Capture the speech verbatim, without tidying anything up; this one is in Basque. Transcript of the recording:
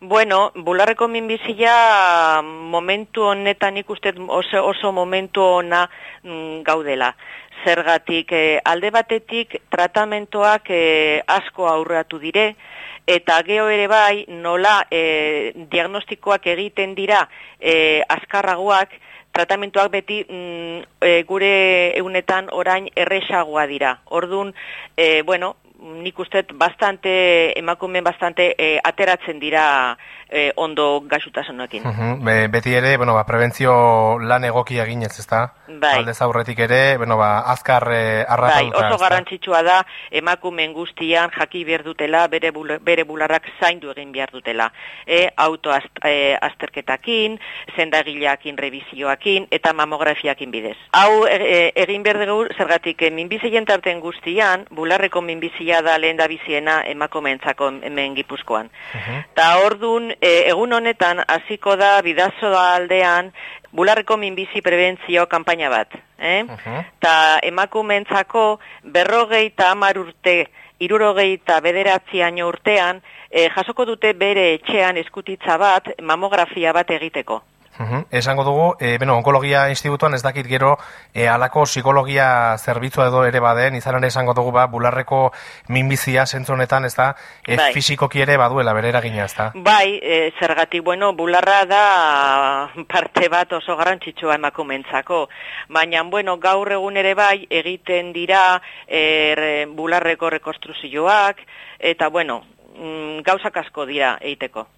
Bueno, bularreko minbizia momentu honetan ikusten oso, oso momentu ona mm, gaudela. Zergatik eh, alde batetik tratamentoak eh, asko aurratu dire, eta gero ere bai nola eh, diagnostikoak egiten dira eh, azkarragoak, tratamentoak beti mm, e, gure egunetan orain erresagoa dira. Ordun, e, bueno, nik uste bastante, emakumeen bastante e, ateratzen dira e, ondo gaixotasunekin. Uh-huh. Be, beti ere, bueno, ba, prebentzio lan egokia eginez, ezta? Bai. Aldez aurretik ere, bueno, ba, azkar e, arrapatuta. Bai, oso garrantzitsua da emakumeen guztian jaki behar dutela, bere, bul, bere bularrak zaindu egin behar dutela. E, autoazterketakin, zendagileakin, revizioakin, eta mamografiakin bidez. Hau e, egin behar dugu, zergatik, e, minbizien tarten guztian, bularreko minbizia da lehen da biziena emakumeentzako hemen Gipuzkoan. Uh-huh. Ta ordun, e, egun honetan, hasiko da bidazo aldean, bularreko minbizi prebentzio kanpaina bat. Eh? Uh-huh. Ta emakumeentzako berrogeita hamar urte, hirurogeita bederatzi año urtean, eh, jasoko dute bere etxean eskutitza bat, mamografia bat egiteko. Uhum. Esango dugu, e, bueno, onkologia institutuan ez dakit gero e, alako psikologia zerbitzua edo ere baden, izan ere esango dugu ba, bularreko minbizia zentzu honetan, ez da, e, bai. Fisikoki ere baduela bere eragina, ez da? Bai, e, zergatik, bueno, bularra da parte bat oso garrantzitsua emakumeentzako, baina, bueno, gaur egun ere bai egiten dira e, bularreko rekonstruzioak, eta, bueno, gauzak asko dira egiteko.